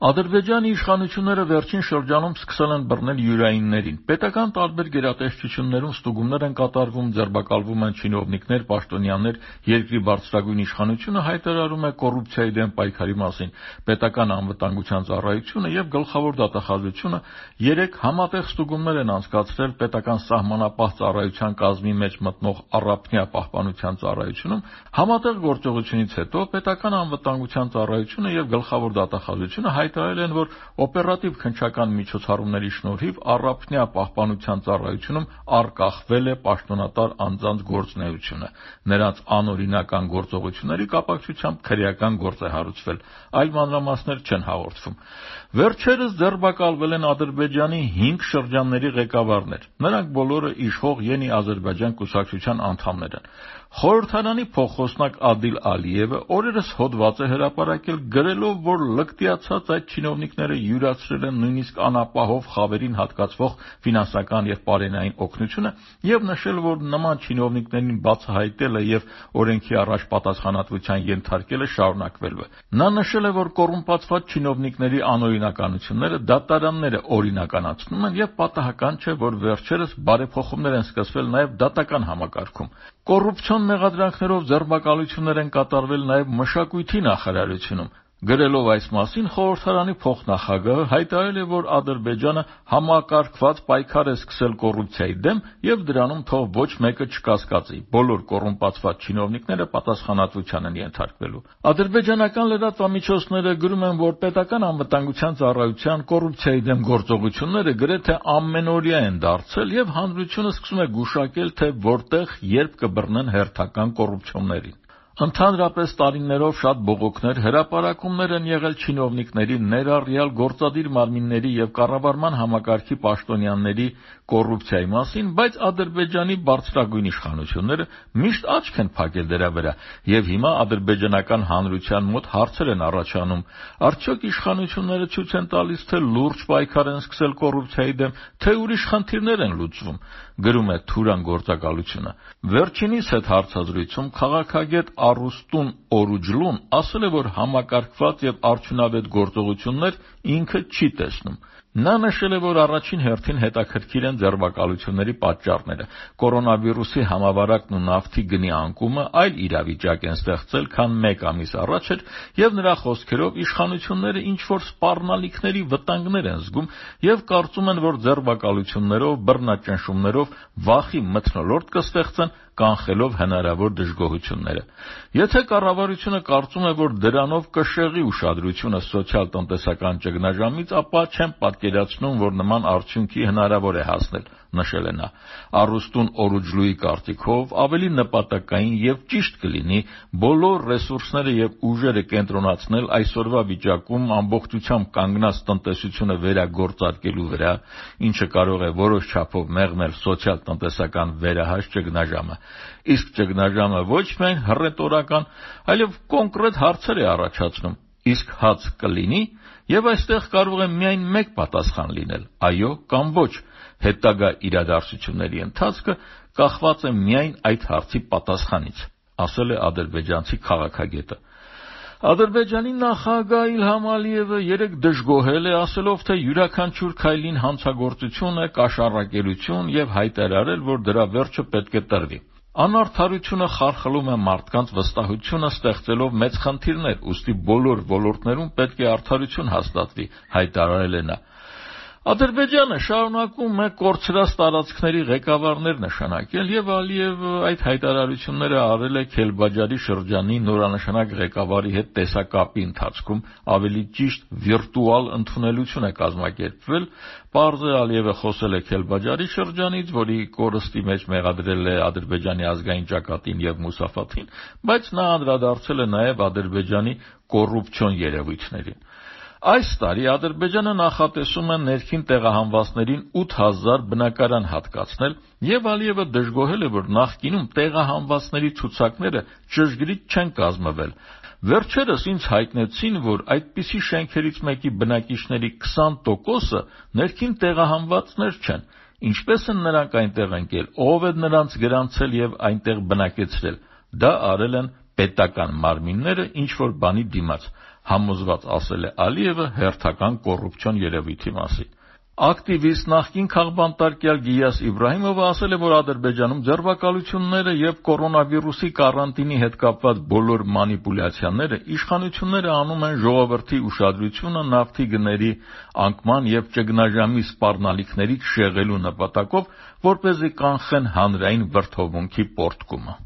Ադրբեջանի իշխանությունները վերջին շրջանում սկսել են բռնել յուրայիններին։ Պետական տարբեր գերատեսչություններում ստուգումներ են կատարվում, ձերբակալվում են չինովնիկներ, պաշտոնյաներ, երկրի բարձրագույն իշխանությունը հայտարարում է կոռուպցիայի դեմ պայքարի մասին։ Պետական անվտանգության ծառայությունը եւ գլխավոր դատախազությունը 3 համատեղ ստուգումներ են անցկացրել պետական սահմանապահ ծառայության կազմի մեջ մտնող առափնյա պահպանության ծառայությունում։ Համատեղ գործողությունից հետո պետական անվտանգության ծառայությունը եւ գլխավոր դատախազությունը հայտարարել են, որ օպերատիվ քննչական միջոցառումների շնորհիվ առափնյա պահպանության ծառայությունում արգախվել է պաշտոնատար անձանց գործունեությունը։ Նրանց անօրինական գործողությունների կապակցությամբ քրեական գործ է հարուցվել, այլ մանրամասներ չեն հաղորդվում։ Վերջերս ձերբակալվել են Ադրբեջանի 5 շրջանների ղեկավարներ։ Նրանք բոլորը իշխող Յենի Ադրբեջան կուսակցության անդամներ են։ Խորհրդարանի փոխխոսնակ Ադիլ Ալիևը օրերս հոդված է հրապարակել, գրելով, որ լկտիացած այդ չինովնիկները յուրացրել են նույնիսկ անապահով խավերին հատկացվող ֆինանսական եւ պարենային օգնությունը եւ նշել, որ նման չինովնիկներին բացահայտելը եւ օրենքի առաջ պատասխանատվության ենթարկելը շարունակվելու է։ Նա նշել է, որ կոռումպացված չինովնիկների անօրինականությունները դատարանները օրինականացնում են եւ պատահական չէ, որ վերջերս բարեփոխումներ են սկսվել նաեւ դատական համակարգում։ Կոռուպցիոն մեղադրանքներով ձերբակալություններ են կատարվել նաև մշակույթի նախարարությունում։ Գրելով այս մասին, խորհրդարանի փոխնախագահը հայտարարել է, որ Ադրբեջանը համակարգված պայքար է սկսել կոռուպցիայի դեմ եւ դրանում թող ոչ մեկը չկասկածի։ Բոլոր կոռումպացված չինովնիկները պատասխանատվության են ենթարկվելու։ Ադրբեջանական լրատվամիջոցները գրում են, որ պետական անվտանգության ծառայության կոռուպցիայի դեմ գործողությունները գրեթե ամենօրյա են դարձել եւ հանրությունը սկսում է գուշակել, թե որտեղ երբ կբռնեն հերթական կոռուպցիոներին։ Ընդհանրապես տարիներով շատ բողոքներ, հրապարակումներ են եղել չինովնիկների, ներառյալ գործադիր մարմինների եւ կառավարման համակարգի պաշտոնյաների կոռուպցիայի մասին, բայց Ադրբեջանի բարձրագույն իշխանությունները միշտ աչք են փակել դրա վրա եւ հիմա ադրբեջանական հանրության մոտ հարցեր են առաջանում. արդյոք իշխանությունները ցույց են տալիս, թե լուրջ պայքար են սկսել կոռուպցիայի դեմ, թե ուրիշ խնդիրներ են լուծվում, գրում է Թուրան գործակալությունը։ Վերջինիս հետ հարցազրույցում քաղաքագետ Արուստուն Օրուջլուն ասել է, որ համակարգված եւ արդյունավետ գործողություններ ինքը չի տեսնում։ Նա նշել է, որ առաջին հերթին հետաքրքիր են ձերբակալությունների պատճառները։ Կորոնավիրուսի համավարակն ու նավթի գնի անկումը այլ իրավիճակ են ստեղծել, քան 1 ամիս առաջ էր, եւ նրա խոսքերով իշխանությունները ինչ-որ սպառնալիքների վտանգներ են զգում եւ կարծում են, որ ձերբակալություններով, բռնաճնշումներով վախի մթնոլորտ կստեղծեն, կանխելով հնարավոր դժգոհությունները։ Եթե կառավարությունը կարծում է, որ դրանով կշեղի ուշադրությունը սոցիալ-տնտեսական ճգնաժամից, ապա չեմ պատկերացնում, որ նման արդյունքի հնարավոր է հասնել, նշել է նա։ Արուստուն Օրուջլուի կարծիքով ավելի նպատակային եւ ճիշտ կլինի բոլոր ռեսուրսները եւ ուժերը կենտրոնացնել այսօրվա վիճակում ամբողջությամբ կանգնած տնտեսությունը վերագործարկելու վրա, ինչը կարող է որոշ չափով մեղմել սոցիալ-տնտեսական վերահաշ ճգնաժամը։ Իսկ ճգնաժամը ոչ միայն հռետորական, այլև կոնկրետ հարցեր է առաջացնում. իսկ հաց կլինի, եւ այստեղ կարող է միայն մեկ պատասխան լինել՝ այո կամ ոչ։ Հետագա իրադարձությունների ընթացքը կախված է միայն այդ հարցի պատասխանից, ասել է ադրբեջանցի քաղաքագետը։ Ադրբեջանի նախագահ Իլհամ Ալիևը երեկ դժգոհել է, ասելով, թե յուրաքանչյուր քայլին հանցագործություն է, կաշառակերություն եւ հայտարարել, որ դրա վերջը պետք է տրվի։ Անարդարությունը խարխլում է մարդկանց վստահությունը, ստեղծելով մեծ խնդիրներ, ուստի բոլոր ոլորտներում պետք է արդարություն հաստատվի, հայտարարել է նա։ Ադրբեջանը շարունակում է կորցրած տարածքների ղեկավարներ նշանակել եւ Ալիևը այդ հայտարարությունները արել է Քելբաջարի շրջանի նորանշանակ ղեկավարի հետ տեսակապի ընթացքում, ավելի ճիշտ վիրտուալ ընդունելություն է կազմակերպվել։ Պարզ է, Ալիևը խոսել է Քելբաջարի շրջանից, որի կորստի մեջ մեղադրել է Ադրբեջանի ազգային ճակատին եւ Մուսաֆաթին, բայց նա անդրադարձել է նաեւ Ադրբեջանի կոռուպցիոն երևույթներին։ Այս տարի Ադրբեջանը նախատեսում է ներքին տեղահանվածներին 8000 բնակարան հատկացնել, եւ Ալիևը դժգոհել է, որ նախկինում տեղահանվածների ցուցակները ճշգրիտ չեն կազմվել։ Վերջերս ինձ հայտնեցին, որ այդպիսի շենքերից մեկի բնակիչների 20%-ը ներքին տեղահանվածներ չեն։ Ինչպես են նրանք այնտեղ ընկել, ով է նրանց գրանցել եւ այնտեղ բնակեցրել։ Դա արել են պետական մարմինները ինչ-որ բանի դիմաց։ համոզված ասել է Ալիևը հերթական կոռուպցիոն երևույթի մասին։ Ակտիվիստ նախկին քաղբանտարկյալ Գիյաս Իբրահիմովը ասել է, որ Ադրբեջանում ձերբակալությունները եւ կորոնավիրուսի կարանտինի հետ կապված բոլոր մանիպուլյացիաները իշխանությունները անում են ժողովրդի ուշադրությունը նավթի գների անկման եւ ճգնաժամի սպառնալիքների շեղելու նպատակով, որպեսզի կանխեն հանրային վրդովմունքի պոռթկումը։